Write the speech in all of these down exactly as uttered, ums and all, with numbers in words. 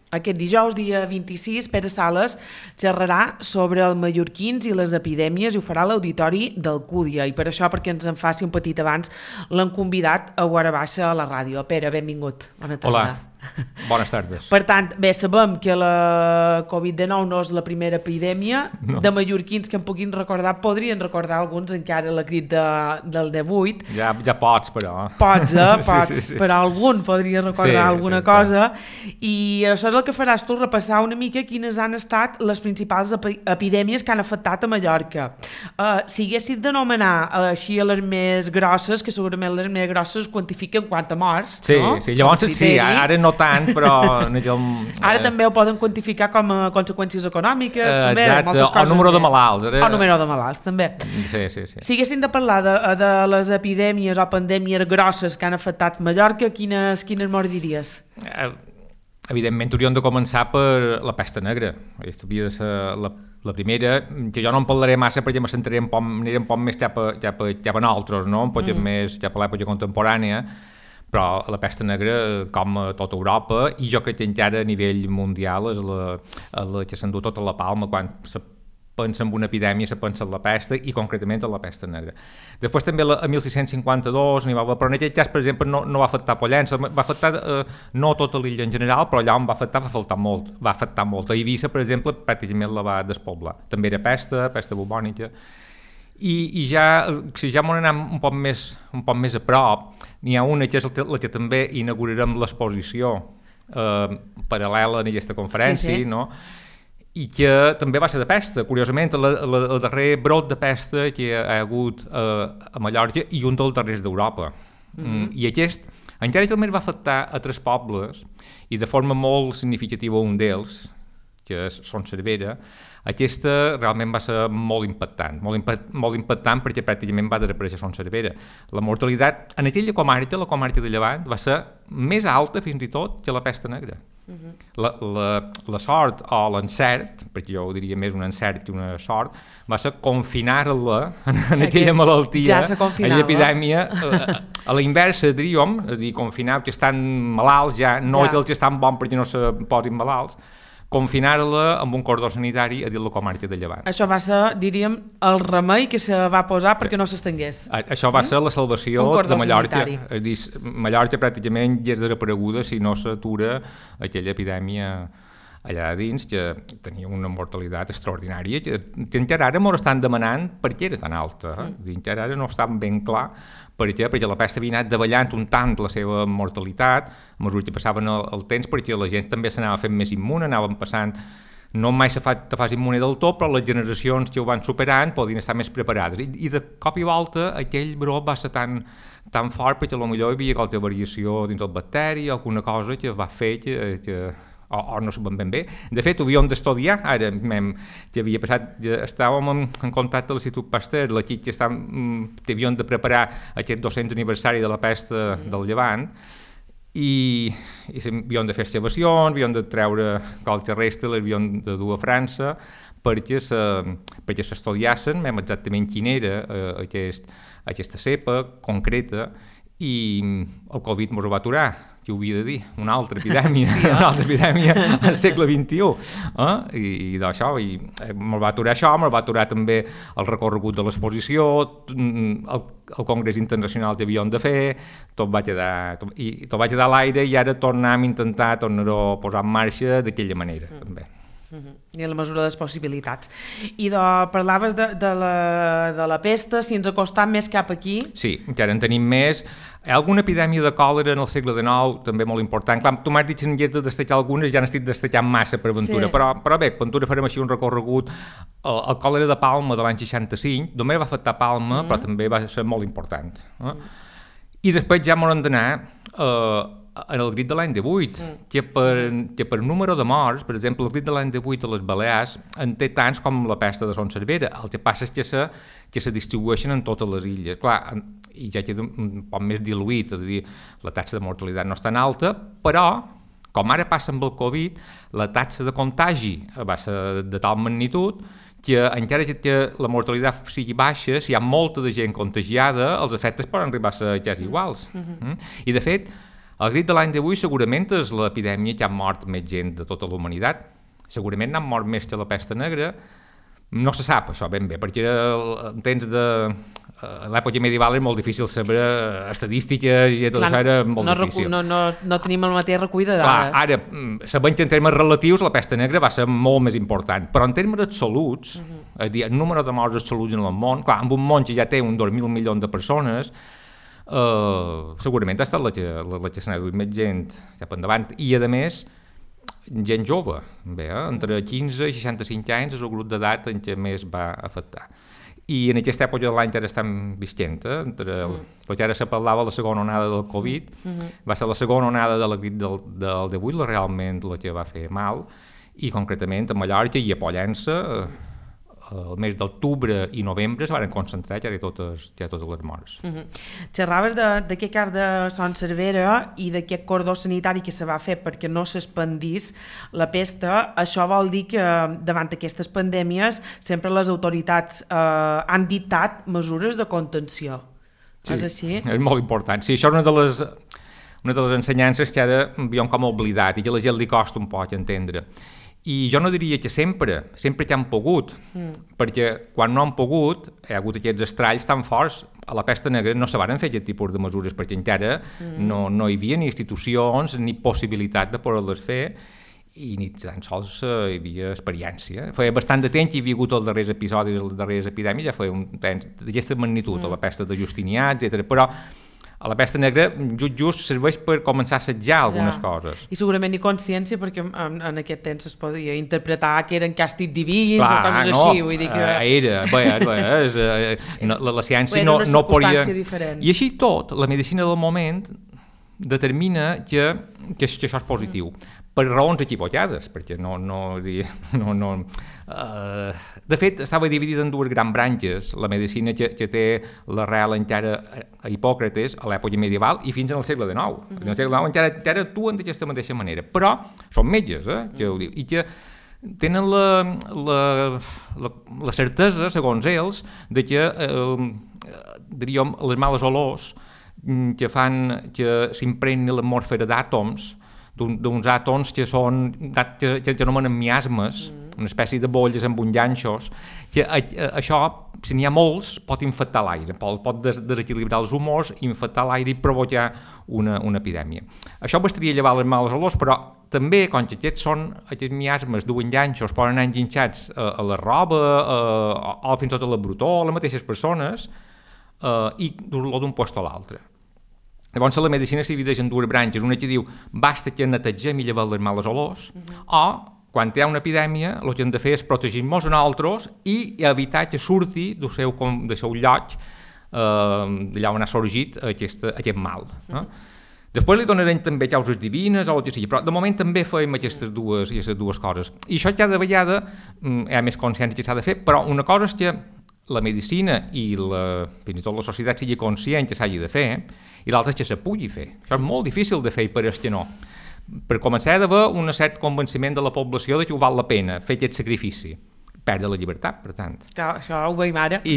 Aquest dijous, dia vint-i-sis, Pere Sales xerrarà sobre els mallorquins i les epidèmies i ho farà a l'auditori d'Alcúdia. I per això, perquè ens en faci un petit abans, l'han convidat a Guara Baixa a la ràdio. Pere, benvingut. Bona tarda. Hola. Bones tardes. Per tant, bé, sabem que la covid dinou no és la primera epidèmia no. de mallorquins que en puguin recordar, podrien recordar alguns encara la crit de, del divuit. Ja, ja pots, però. Pots, eh? Pots, sí, sí, sí. Però algun podria recordar sí, alguna sí, cosa. Clar. I això és el que faràs tu, repassar una mica quines han estat les principals ep epidèmies que han afectat a Mallorca. Uh, si haguessis d'anomenar uh, així a les més grosses, que segurament les més grosses quantifiquen quant a morts, sí, no? Sí, llavors sí, ara no tant, però... Ara eh... també ho poden quantificar com a conseqüències econòmiques, uh, també, exacte, moltes coses o número més. de malalts. Ara... O número de malalts, també. Sí, sí, sí. Si haguéssim de parlar de, de les epidèmies o pandèmies grosses que han afectat Mallorca, quines, quines mort diries? Uh, evidentment, hauríem de començar per la pesta negra. Aquesta havia de ser la, la primera, que jo no en parlaré massa perquè me centraré un poc, aniré un poc més cap a, cap a, cap a nosaltres, no? Un poc mm. més cap a l'època contemporània, però la pesta negra, com a tota Europa, i jo crec que encara a nivell mundial és la, la que s'endú tota la palma quan se pensa en una epidèmia, se pensa en la pesta i concretament en la pesta negra. Després també la, a mil sis-cents cinquanta-dos n'hi va haver, però en aquest cas, per exemple, no, no va afectar Pollença, va afectar eh, no tota l'illa en general, però allà on va afectar va afectar molt, va afectar molt. A Eivissa, per exemple, pràcticament la va despoblar. També era pesta, pesta bubònica. I, i ja, si ja m'ho anem un poc més, un poc més a prop, n'hi ha una que és la que també inaugurarem l'exposició eh, paral·lela en aquesta conferència, sí, sí. No? I que també va ser de pesta, curiosament, la, la, el darrer brot de pesta que hi ha hagut eh, a Mallorca i un dels darrers d'Europa. Mm-hmm. I aquest, encara que també va afectar a tres pobles, i de forma molt significativa un d'ells, que és Son Servera, aquesta realment va ser molt impactant, molt, impa molt impactant perquè pràcticament va desaparèixer Son Servera. La mortalitat en aquella comarca, la comarca de Llevant, va ser més alta fins i tot que la pesta negra. Uh-huh. la, la, la sort o l'encert, perquè jo ho diria més un encert que una sort, va ser confinar-la en, en aquella malaltia, ja aquella epidèmia, a, a la inversa, diríem, és a dir, confinar que estan malalts ja, no ja. Els que estan bons perquè no se posin malalts, confinar-la amb un cordó sanitari a dins la comarca de Llevant. Això va ser, diríem, el remei que se va posar perquè no s'estengués. Això va ser la salvació de Mallorca. Sanitari. És dir, Mallorca pràcticament ja és desapareguda si no s'atura aquella epidèmia allà dins, que tenia una mortalitat extraordinària, que, que encara ara m'ho estan demanant per què era tan alta. Eh? Sí. Encara ara no està ben clar per què, perquè la pesta havia anat davallant un tant la seva mortalitat, a mesura que passaven el, el temps, perquè la gent també s'anava fent més immune, anaven passant, no mai se fa, te fas immune del tot, però les generacions que ho van superant podien estar més preparades. I, i de cop i volta aquell brot va ser tan, tan fort perquè potser hi havia qualque variació dins el bacteri o alguna cosa que va fer que, que O, o no sabem ben bé. De fet, ho havíem d'estudiar, ara mem, que havia passat, ja estàvem en, en contacte amb l'Institut Pasteur, l'equip que, que havien de preparar aquest dos-cents aniversari de la pesta del Llevant, i, i havien de fer excavacions, havien de treure qualque resta, les havien de dur a França, perquè s'estudiassen mem exactament quina era eh, aquest, aquesta cepa concreta, i el Covid mos ho va aturar, que ho havia de dir, una altra epidèmia, sí, eh? una altra epidèmia al segle vint-i-u. Eh? I, i d'això, i mos va aturar això, mos va aturar també el recorregut de l'exposició, el, el congrés internacional que havíem de fer, tot va quedar, tot, i, tot va quedar a l'aire i ara tornem a intentar tornar-ho a posar en marxa d'aquella manera, mm. també. Uh-huh. I en la mesura de les possibilitats. I de, parlaves de, de, la, de la pesta, si ens acostam més cap aquí... Sí, encara en tenim més. Hi ha alguna epidèmia de còlera en el segle dinou, també molt important. Clar, tu m'has dit que n'hi has de destacar algunes, ja n'estic destacant massa per Ventura, sí. però, però bé, Ventura farem així un recorregut. El, el còlera de Palma de l'any seixanta-cinc, només va afectar Palma, mm. però també va ser molt important. Eh? Mm. I després ja m'ho hem d'anar... Eh, en el grit de l'any divuit, mm. que, per, que per número de morts, per exemple, el grit de l'any divuit a les Balears en té tants com la pesta de Son Servera. El que passa és que se, que se distribueixen en totes les illes. Clar, i ja queda un poc més diluït, és a dir, la taxa de mortalitat no és tan alta, però, com ara passa amb el Covid, la taxa de contagi va ser de tal magnitud que encara que la mortalitat sigui baixa, si hi ha molta de gent contagiada, els efectes poden arribar a ser quasi iguals. Mm-hmm. mm? I de fet, El grip de l'any d'avui segurament és l'epidèmia que ha mort més gent de tota la humanitat. Segurament n'han mort més que la pesta negra. No se sap això ben bé, perquè en temps de l'època medieval era molt difícil saber estadístiques i tot Clar, això era molt no difícil. No, no, no tenim el mateix recull de dades. Clar, ara, sabent que en termes relatius la pesta negra va ser molt més important, però en termes absoluts, uh-huh. és a dir, el número de morts absoluts en el món, clar, amb un món que ja té un dos mil milions de persones, Uh, segurament ha estat la que, la, la que s'ha duit més gent cap endavant i a més gent jove, bé, eh? Entre quinze i seixanta-cinc anys és el grup d'edat en què més va afectar i en aquesta època de l'any ara estem visquent eh? Entre el, el que ara se parlava la segona onada del Covid uh-huh. va ser la segona onada de la grip del, del divuit la realment la que va fer mal i concretament a Mallorca i a Pollença eh, el mes d'octubre i novembre es van concentrar ja totes, ja totes les morts. Uh-huh. Xerraves d'aquest cas de Son Servera i d'aquest cordó sanitari que se va fer perquè no s'expandís la pesta. Això vol dir que davant aquestes pandèmies sempre les autoritats eh, han dictat mesures de contenció. Sí, és així? És molt important. Sí, això és una de les, una de les ensenyances que ara havíem com oblidat i que a la gent li costa un poc entendre. I jo no diria que sempre, sempre que han pogut, mm. perquè quan no han pogut hi ha hagut aquests estralls tan forts. A la pesta negra no se van fer aquest tipus de mesures perquè encara mm. no, no hi havia ni institucions ni possibilitat de poder-les fer i ni tan sols hi havia experiència. Feia bastant de temps que hi havia hagut els darrers episodis, les darreres epidèmies, ja feia un temps d'aquesta magnitud, mm. a la pesta de Justinià, etcètera. Però a la pesta negra just just serveix per començar a assetjar algunes ja. coses. I segurament ni consciència, perquè en, en aquest temps es podia interpretar que eren càstigs divins Clar, o coses no, així. Vull dir que... Era, bé, bé, és, no, la, la ciència no, no podia... Diferent. I així tot, la medicina del moment determina que, que, que això és positiu. Mm. Per raons equivocades, perquè no... no, no, no uh, de fet, estava dividida en dues grans branques, la medicina que, que té l'arrel encara a Hipòcrates, a l'època medieval, i fins en el segle dinou. Mm-hmm. En el segle dinou encara, encara actuen d'aquesta mateixa manera, però són metges, eh, que ho diu, i que tenen la, la, la, la certesa, segons ells, de que eh, diríem, les males olors que fan que s'impregni l'atmosfera d'àtoms, d'uns àtoms que són, que, que anomenen miasmes, mm. una espècie de bolles amb uns ganxos, que a, a, això, si n'hi ha molts, pot infectar l'aire, pot, pot des, desequilibrar els humors, infectar l'aire i provocar una, una epidèmia. Això bastaria llevar les males olors, però també, com que aquests són, aquests miasmes duen ganxos, poden anar enganxats a, a la roba, a, a, fins i tot a la brutó, a les mateixes persones, a, i dur-lo d'un lloc a l'altre. Llavors la medicina s'hi divideix en dues branques, una que diu basta que netegem i llevem les males olors, uh-huh. o quan hi ha una epidèmia el que hem de fer és protegir-nos a nosaltres i evitar que surti del seu, del seu lloc eh, d'allà on ha sorgit aquest, aquest mal. Uh-huh. Eh? Després li donarem també causes divines o el que sigui, però de moment també fem aquestes dues, aquestes dues coses. I això cada vegada hi ha més consciència que s'ha de fer, però una cosa és que la medicina i la, fins i tot la societat sigui conscient que s'hagi de fer, i l'altre és que se pugui fer. Això és molt difícil de fer i per és que no. Per començar, ha d'haver un cert convenciment de la població de que ho val la pena fer aquest sacrifici. Perdre la llibertat, per tant. Clar, això ho veiem ara. I,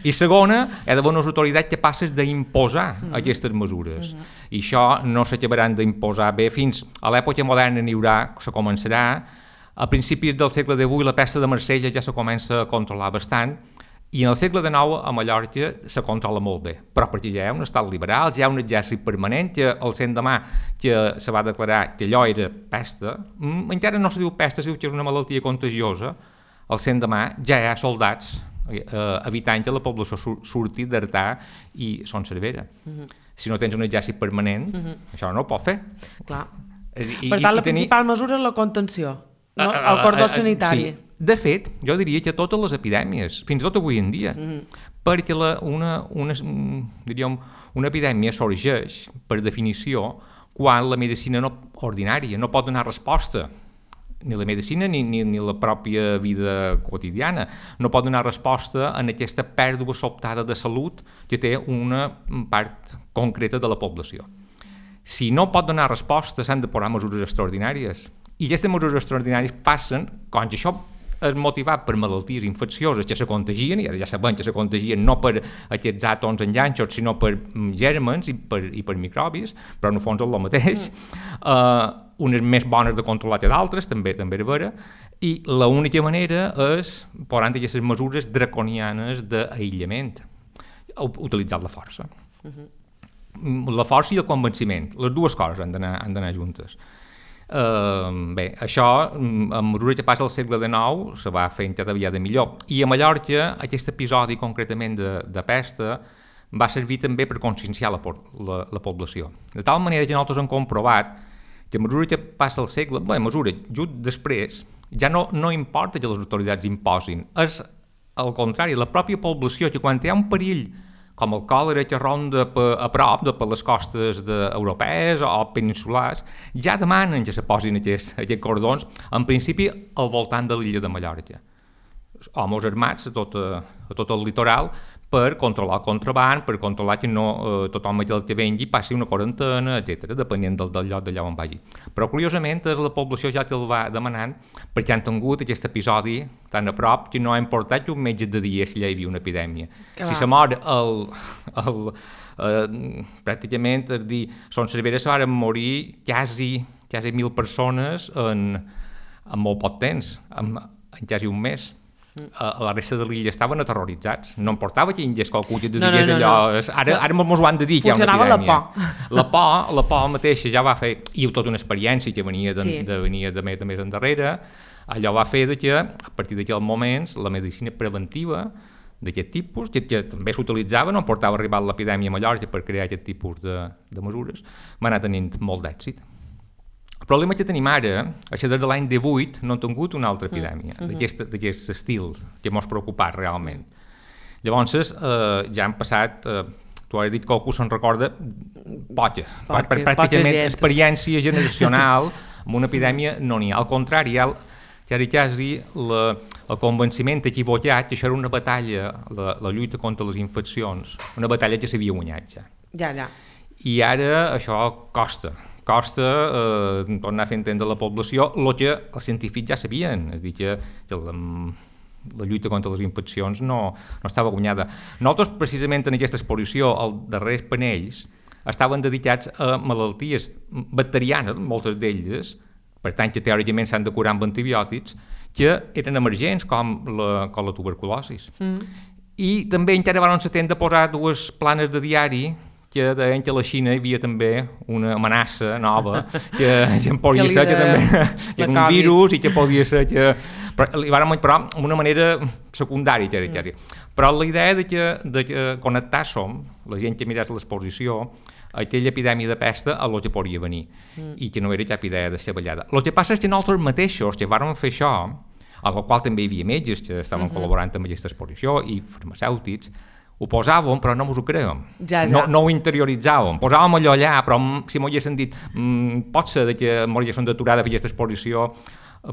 i segona, hi ha d'haver unes autoritats capaces d'imposar mm-hmm. aquestes mesures. Mm-hmm. I això no s'acabaran d'imposar bé fins a l'època moderna n'hi haurà, se començarà. A principis del segle divuit la pesta de Marsella ja se comença a controlar bastant, i en el segle dinou a Mallorca se controla molt bé, però perquè ja hi ha un estat liberal, ja hi ha un exèrcit permanent, que el cent de mà que se va declarar que allò era pesta, encara no se diu pesta, se diu que és una malaltia contagiosa, el cent de mà ja hi ha soldats eh, evitant que la població surti d'Artà i Son Servera. Uh-huh. Si no tens un exèrcit permanent, uh-huh. això no ho pot fer. Clar. I, per tant, i, la i principal tenir... mesura és la contenció, no? uh, uh, el cordó sanitari. Sí. De fet, jo diria que totes les epidèmies, fins i tot avui en dia, mm-hmm. perquè la, una, una, diríem, una epidèmia sorgeix, per definició, quan la medicina no, ordinària no pot donar resposta, ni la medicina ni, ni, ni la pròpia vida quotidiana, no pot donar resposta en aquesta pèrdua sobtada de salut que té una part concreta de la població. Si no pot donar resposta, s'han de posar mesures extraordinàries. I aquestes mesures extraordinàries passen, com que això és motivat per malalties infeccioses que se contagien, i ara ja sabem que se contagien no per aquests àtoms enganxos, sinó per gèrmens i per, i per microbis, però en el fons és el mateix. Mm. Uh, unes més bones de controlar que d'altres, també també és vera, i l'única manera és posant aquestes mesures draconianes d'aïllament, utilitzant la força. Uh-huh. La força i el convenciment, les dues coses han d'anar han d'anar juntes. Uh, bé, això, a mesura que passa el segle dinou, se va fent cada vegada millor. I a Mallorca, aquest episodi concretament de, de pesta va servir també per conscienciar la, la, la població. De tal manera que nosaltres hem comprovat que a mesura que passa el segle, bé, a mesura, just després, ja no, no importa que les autoritats imposin, és al contrari, la pròpia població, que quan hi ha un perill com el còlera que ronda a prop de per les costes europees o peninsulars, ja demanen que se posin aquests, aquests cordons, en principi al voltant de l'illa de Mallorca. Homes armats a tot, a, a tot el litoral per controlar el contraband, per controlar que no eh, tothom el que vengui passi una quarantena, etcètera, depenent del, del lloc d'allà on vagi. Però curiosament és la població ja que el va demanant perquè han tingut aquest episodi tan a prop que no ha importat que un metge de dia si hi havia una epidèmia. Que si se mor el, el, eh, pràcticament, és dir, Son Cervera se van morir quasi, quasi mil persones en, en molt poc temps, en, en quasi un mes. A la resta de l'illa estaven aterroritzats. No importava que hi hagués qualcú que te no, digués no, no, allò... no. Ara, ara mos ho han de dir que hi ha una epidèmia. Funcionava la por. La por, la por mateixa ja va fer... I tota una experiència que venia de, sí. de, venia de, més, de més endarrere, allò va fer de que, a partir d'aquells moments, la medicina preventiva d'aquest tipus, que, que també s'utilitzava, no portava a arribar l'epidèmia a Mallorca per crear aquest tipus de, de mesures, va anar tenint molt d'èxit. El problema que tenim ara, això des de l'any divuit, no hem tingut una altra epidèmia uh -huh. d'aquest estil que m'ha preocupat realment. Llavors, eh, ja han passat, eh, tu has dit que qualcú se'n recorda, poca, per, per pràcticament experiència generacional amb una epidèmia no n'hi ha. Al contrari, hi ha quasi, quasi la, el convenciment equivocat que això era una batalla, la, la lluita contra les infeccions, una batalla que s'havia guanyat ja. Ja, ja. I ara això costa. costa eh, tornar a fer entendre a la població el que els científics ja sabien, és a dir, que, que la, la lluita contra les infeccions no, no estava guanyada. Nosaltres, precisament en aquesta exposició, els darrers panells estaven dedicats a malalties bacterianes, moltes d'elles, per tant que teòricament s'han de curar amb antibiòtics, que eren emergents, com la, com la tuberculosi. Mm. I també encara van s'atendre a posar dues planes de diari que deien que a la Xina hi havia també una amenaça nova, que, que podia ser que també que era un virus i que podia ser que... Però, li van però d'una manera secundària, que era, mm. Però la idea de que, de que connectar som, la gent que mirés l'exposició, aquella epidèmia de pesta a lo que podria venir, mm. i que no era cap idea de ser ballada. El que passa és que nosaltres mateixos, que vàrem fer això, al qual també hi havia metges que estaven uh-huh. col·laborant amb aquesta exposició i farmacèutics, ho posàvem, però no mos ho creiem. Ja, ja. No, no ho interioritzàvem. Posàvem allò allà, però si m'ho haguessin dit mmm, pot ser que m'ho haguessin d'aturar de fer aquesta exposició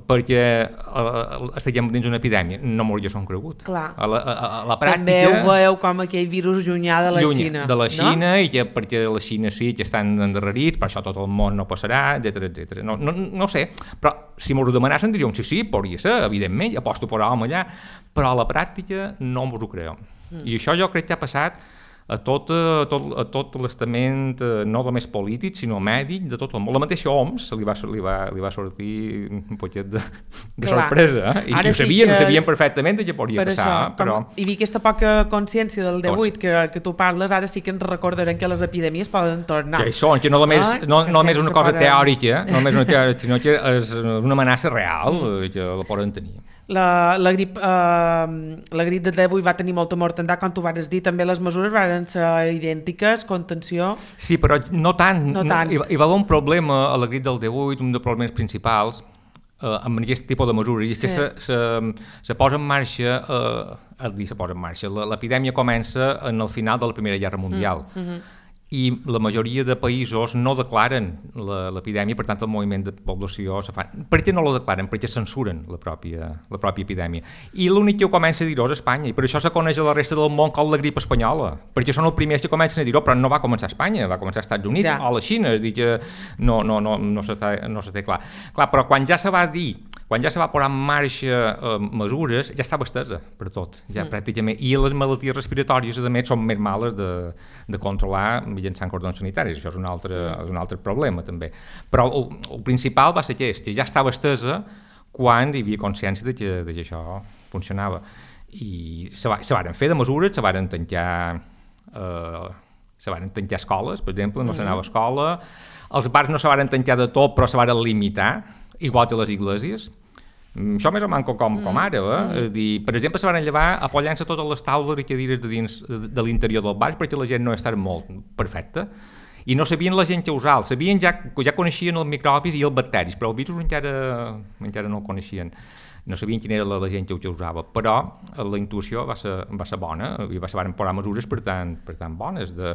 perquè uh, estiguem dins una epidèmia. No m'ho haguessin cregut. Clar. A la, a, a la pràctica... També ho veieu com aquell virus llunyà de la lluny, Xina. De la Xina, no? I que perquè la Xina sí que estan endarrerits, per això tot el món no passarà, etcètera, etcètera. No, no, no sé, però si m'ho demanassin diríem sí, sí, podria ser, evidentment, aposto per home allà, però a la pràctica no m'ho creiem. Mm. I això jo crec que ha passat a tot, a tot, a tot l'estament, no només polític, sinó mèdic, de tot el món. La mateixa O M S li va, li va, li va sortir un poquet de, de sorpresa, eh? I, i ho sabien, sí que... sabien perfectament que podria per passar. Això, però... com, hi havia aquesta poca consciència del divuit que, que tu parles, ara sí que ens recordarem que les epidèmies poden tornar. Que hi són, que no només, ah, no, no només una cosa poden... teòrica, no només una teòrica, sinó que és una amenaça real, mm. que la poden tenir. La, la, grip, eh, la grip de divuit va tenir molta mortandat, com tu vas dir, també les mesures van ser idèntiques, contenció... Sí, però no tant. No tant. Hi, hi va haver un problema a la grip del divuit, un dels problemes principals, eh, amb aquest tipus de mesures, i és que sí. se, se, se posa en marxa, eh, el dir se posa en marxa, l'epidèmia comença en el final de la Primera Guerra Mundial. Mm, mm-hmm. I la majoria de països no declaren l'epidèmia, per tant el moviment de població se fa. Per què no la declaren? Perquè censuren la pròpia, la pròpia epidèmia. I l'únic que ho comença a dir-ho és Espanya, i per això se coneix a la resta del món com la grip espanyola, perquè són els primers que comencen a dir-ho, però no va començar a Espanya, va començar als Estats Units ja. o a la Xina, és dir que no, no, no, no, se té, no se té clar. Clar, però quan ja se va dir quan ja se va posar en marxa eh, mesures, ja estava estesa per tot, ja mm. pràcticament, i les malalties respiratòries, a més, són més males de, de controlar mitjançant cordons sanitaris, això és un altre, mm. és un altre problema, també. Però el, el principal va ser aquest, ja estava estesa quan hi havia consciència de que, de que això funcionava. I se, va, se varen fer de mesures, se varen tancar... Eh, se varen tancar escoles, per exemple, no s'anava a escola, els bars no se varen tancar de tot, però se varen limitar, igual que les iglesias. Això més o menys com, com ara, eh? Dir, per exemple, se varen llevar apollant-se totes les taules i cadires de dins de l'interior del bar perquè la gent no estava molt perfecta. I no sabien la gent què usar, sabien ja, ja coneixien els microbis i els bacteris, però els virus encara, encara no el coneixien. No sabien quina era la, la gent que ho usava, però la intuïció va ser, va ser bona i va ser, van posar mesures per tant, per tant bones. De,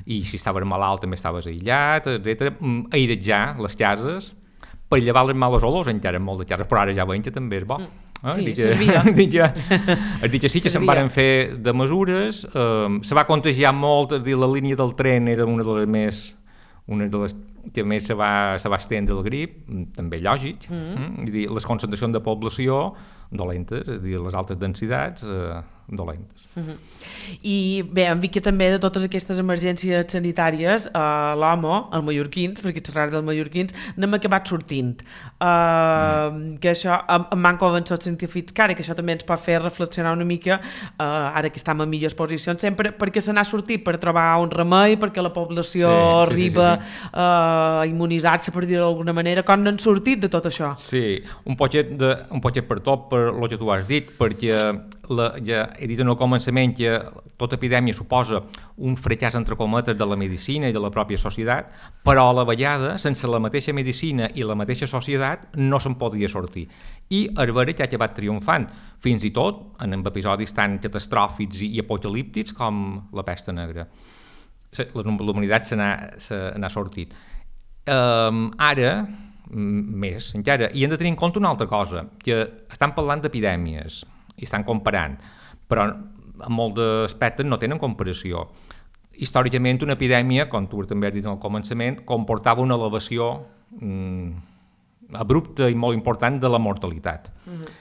I si estaves malalt també estaves aïllat, etcètera. Airejar les cases per llevar les males olors, encara molt de cases, però ara ja veiem que també és bo. Eh? Sí, dic, servia. Dic, dic que sí que se'n van fer de mesures, eh, se va contagiar molt, dir, la línia del tren era una de les més... una de les que més se va, se va estendre el grip, també lògic, mm. mm? Dir, les concentracions de població dolentes, és a dir, les altes densitats eh, dolentes. Mm-hmm. I bé, hem vist que també de totes aquestes emergències sanitàries, eh, l'O M O, els mallorquins, perquè xerrar dels mallorquins, n'hem acabat sortint. Eh, mm. Que això, em van convençut científics que ara, que això també ens pot fer reflexionar una mica, eh, ara que estem en millors posicions, sempre perquè se n'ha sortit per trobar un remei, perquè la població sí, sí, arriba sí, sí, sí. a immunitzar-se, per dir-ho d'alguna manera, com n'han sortit de tot això? Sí, un poquet, de, un poquet per tot, per el que tu has dit, perquè la, ja he dit en el començament que tota epidèmia suposa un fracàs entre cometes de la medicina i de la pròpia societat, però a la vegada, sense la mateixa medicina i la mateixa societat, no se'n podia sortir. I Herbera ja ha acabat triomfant, fins i tot en episodis tan catastròfics i apocalíptics com la pesta negra. La humanitat se n'ha sortit. Um, ara, més encara, i hem de tenir en compte una altra cosa, que estan parlant d'epidèmies i estan comparant, però en molts aspectes no tenen comparació. Històricament, una epidèmia, com tu també has dit al començament, comportava una elevació mm, abrupta i molt important de la mortalitat. Uh-huh.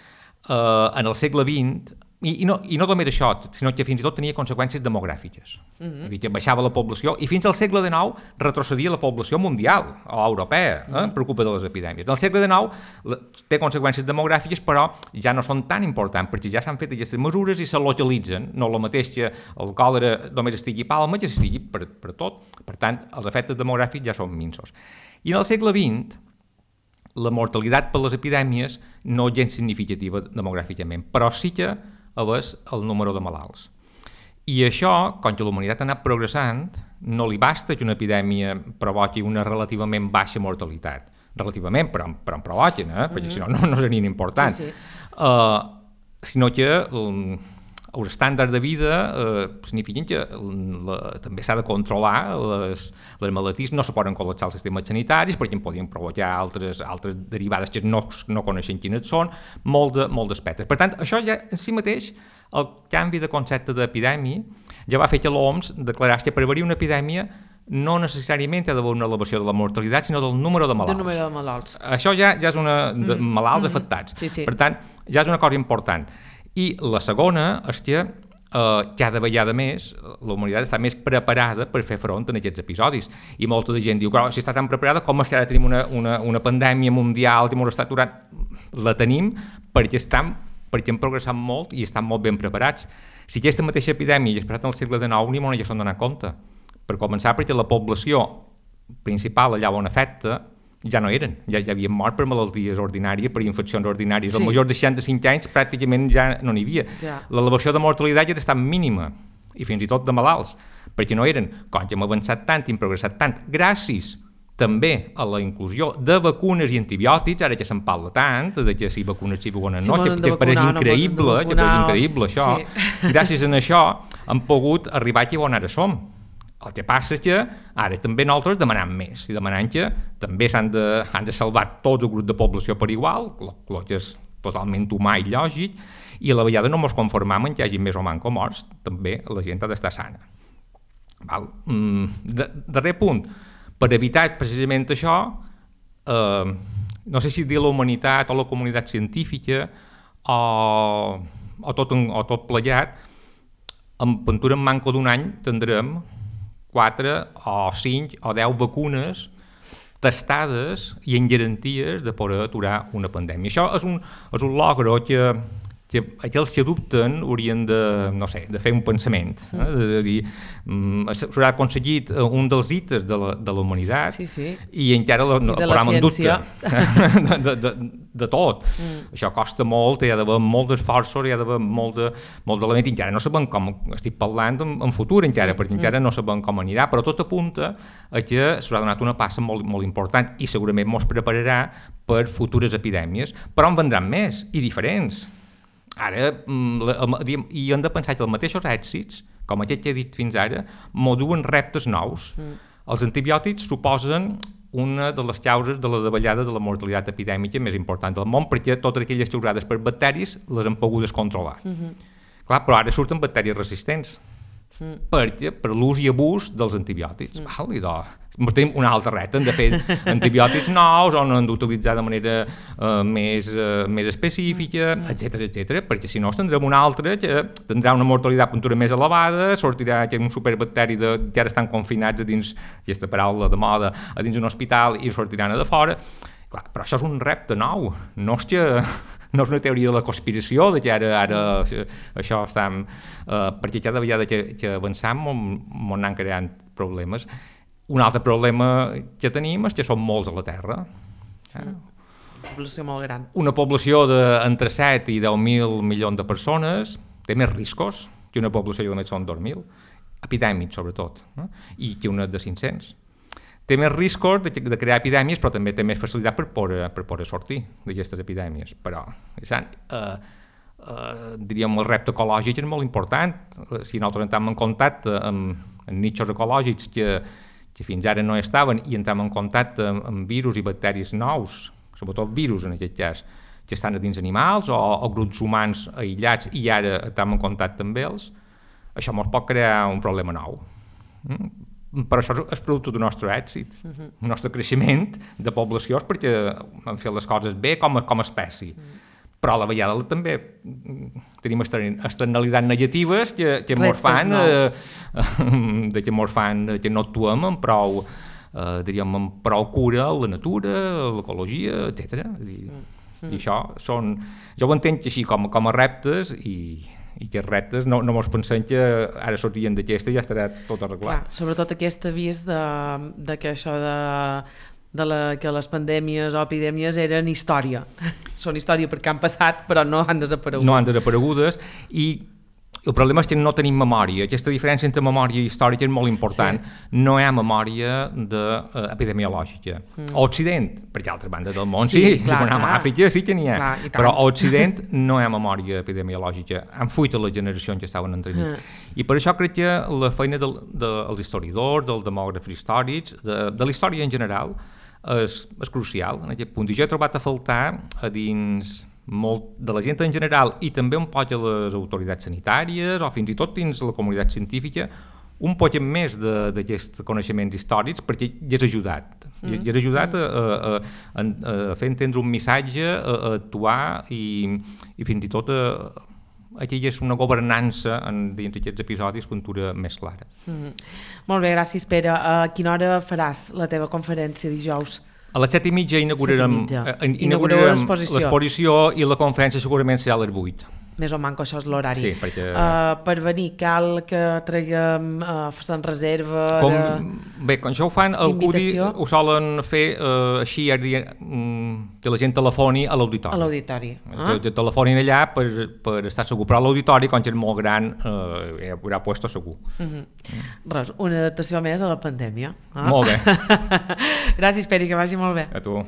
Uh, en el segle vint, i, i, no, i no només això, sinó que fins i tot tenia conseqüències demogràfiques. Uh-huh. Que baixava la població, i fins al segle dinou retrocedia la població mundial o europea, eh, uh-huh. per culpa de les epidèmies. En el segle dinou la, té conseqüències demogràfiques, però ja no són tan importants, perquè ja s'han fet aquestes mesures i se localitzen. No el mateix que el còlera només estigui a Palma, que estigui per, per tot. Per tant, els efectes demogràfics ja són minsos. I en el segle vint, la mortalitat per les epidèmies no és gens significativa demogràficament, però sí que és el número de malalts. I això, com que la humanitat ha anat progressant, no li basta que una epidèmia provoqui una relativament baixa mortalitat. Relativament, però, però en provoquen, eh? Perquè si no, no, no serien importants. Sí, sí. Uh, sinó que um, els estàndards de vida uh, signifiquen que la, també s'ha de controlar les, les malalties, no se poden col·lapsar els sistemes sanitaris perquè en podien provocar altres, altres derivades que no, no coneixen quines són, molt d'aspectes. Per tant, això ja en si mateix, el canvi de concepte d'epidèmia ja va fer que l'O M S declarés que per haver-hi una epidèmia no necessàriament ha d'haver una elevació de la mortalitat, sinó del número de malalts. Del número de malalts. Això ja, ja és una... de malalts mm-hmm. afectats. Sí, sí. Per tant, ja és una cosa important. I la segona és que eh, cada vegada més la humanitat està més preparada per fer front a aquests episodis. I molta de gent diu, però si està tan preparada, com és que ara tenim una, una, una pandèmia mundial que ens està aturant? La tenim perquè, estan, perquè hem progressat molt i estan molt ben preparats. Si aquesta mateixa epidèmia hagués passat en el segle dinou, ni m'ho s'han donat compte. Per començar, perquè la població principal allà on afecta ja no eren, ja, ja havien mort per malalties ordinàries, per infeccions ordinàries. Sí. Els majors de seixanta-cinc anys pràcticament ja no n'hi havia. Ja. L'elevació de mortalitat ja està mínima, i fins i tot de malalts, perquè no eren, com que hem avançat tant i hem progressat tant, gràcies també a la inclusió de vacunes i antibiòtics, ara que se'n parla tant, de que si vacunes si vacunes no, sí, que, que pareix increïble, no que pareix increïble això. Sí. Gràcies a això hem pogut arribar aquí on ara som. El que passa és que ara també nosaltres demanem més, i demanant que també s'han de, han de salvar tots els grups de població per igual, el que és totalment humà i lògic, i a la vegada no ens conformam en que hi hagi més o manco morts, també la gent ha d'estar sana. Val? Mm, de, darrer punt, per evitar precisament això, eh, no sé si dir la humanitat o la comunitat científica o, o, tot, o tot plegat, en pintura en manco d'un any tindrem quatre o cinc o deu vacunes testades i en garanties de poder aturar una pandèmia. Això és un, és un logro que, que aquells que dubten haurien de, no sé, de fer un pensament, eh? de, de dir, mm, s'haurà aconseguit un dels hites de la, de la humanitat sí, sí. i encara la, no, I de la ciència. de, de, de, de tot. Mm. Això costa molt, hi ha d'haver molt d'esforços, hi ha d'haver molt de, molt d'elements, encara no sabem com, estic parlant en, en futur encara, perquè encara mm. no sabem com anirà, però tot apunta a que s'haurà donat una passa molt, molt important i segurament ens prepararà per futures epidèmies, però en vendran més i diferents. Ara, i hem de pensar que els mateixos èxits, com aquest que he dit fins ara, m'ho duen reptes nous. Mm. Els antibiòtics suposen una de les causes de la davallada de la mortalitat epidèmica més important del món, perquè totes aquelles causades per bacteris les han pogut controlar. Mm-hmm. Clar, però ara surten bacteris resistents, mm. perquè, per l'ús i abús dels antibiòtics. Mm. Val, i doncs, tenim un altre repte, hem de fer antibiòtics nous, on han d'utilitzar de manera uh, més, uh, més específica, mm. etcètera, etcètera, perquè si no tindrem un altre que tindrà una mortalitat puntura més elevada, sortirà que un superbacteri de, que ara estan confinats a dins, aquesta paraula de moda, a dins un hospital i sortiran a de fora. Clar, però això és un repte nou, no és que no és una teoria de la conspiració, de que ara, ara això està... Uh, perquè cada vegada que, que avancem ens anem creant problemes. Un altre problema que tenim és que som molts a la Terra. Eh? Una població molt gran. Una població d'entre set i deu mil milions de persones té més riscos que una població que només són dos mil, epidèmics sobretot, eh? I que una de cinc-cents. Té més riscos de, de crear epidèmies, però també té més facilitat per poder, per poder sortir d'aquestes epidèmies. Però, sant, eh, eh, diríem, el repte ecològic és molt important. Si nosaltres entrem en contacte amb, amb nichos ecològics que, que fins ara no estaven i entrem en contacte amb, amb virus i bacteris nous, sobretot virus en aquest cas, que estan a dins animals o, o grups humans aïllats i ara estem en contacte amb ells, això ens pot crear un problema nou. Mm? Però això és producte del nostre èxit, uh-huh. el nostre creixement de poblacions, perquè hem fet les coses bé com a, com a espècie. Uh-huh. Però a la vegada també tenim externalitats negatives que, que ens fan, eh, de que ens fan que no actuem amb prou, eh, diríem, amb prou cura a la natura, a l'ecologia, etcètera. I, uh-huh. i això són... Jo ho entenc així com, com a reptes i... i que els reptes no, no mos pensem que ara sortien d'aquesta i ja estarà tot arreglat. Clar, sobretot aquest avís de, de que això de, de la, que les pandèmies o epidèmies eren història. Són història perquè han passat però no han desaparegut. No han desaparegudes i el problema és que no tenim memòria. Aquesta diferència entre memòria i històrica és molt important. Sí. No hi ha memòria de, uh, epidemiològica. Mm. A Occident, perquè a altres bandes del món sí, sí clar, si anem a Àfrica sí que n'hi ha, clar, però a Occident no hi ha memòria epidemiològica. Han fuit a les generacions que estaven entremig. Mm. I per això crec que la feina dels de, de, historiadors, dels demògrafs històrics, de, de la història en general, és, és crucial en aquest punt. I jo he trobat a faltar a dins... molt de la gent en general i també un poc a les autoritats sanitàries o fins i tot dins la comunitat científica un poc més d'aquests coneixements històrics perquè ja has ajudat mm. ja has ajudat a, a, a, a fer entendre un missatge, a, a actuar i, i fins i tot a, aquí hi és una governança en, dins d'aquests episodis pintura més clara. Mm. Molt bé, gràcies Pere. A quina hora faràs la teva conferència dijous? A les set i mitja inaugurarem, inaugurarem l'exposició i la conferència segurament serà a les vuit. Més o manco això és l'horari. Sí, perquè... Uh, per venir cal que traguem, uh, se'n reserva... Com, de... Bé, quan això ho fan, el C U D I ho solen fer uh, així, que la gent telefoni a l'auditori. A l'auditori. Ah? Que, que telefonin allà per, per estar segur. Però a l'auditori, quan és molt gran, uh, hi haurà puesto segur. Uh-huh. Mm. Res, una adaptació més a la pandèmia. Ah? Molt bé. Gràcies, Pere, que vagi molt bé. A tu.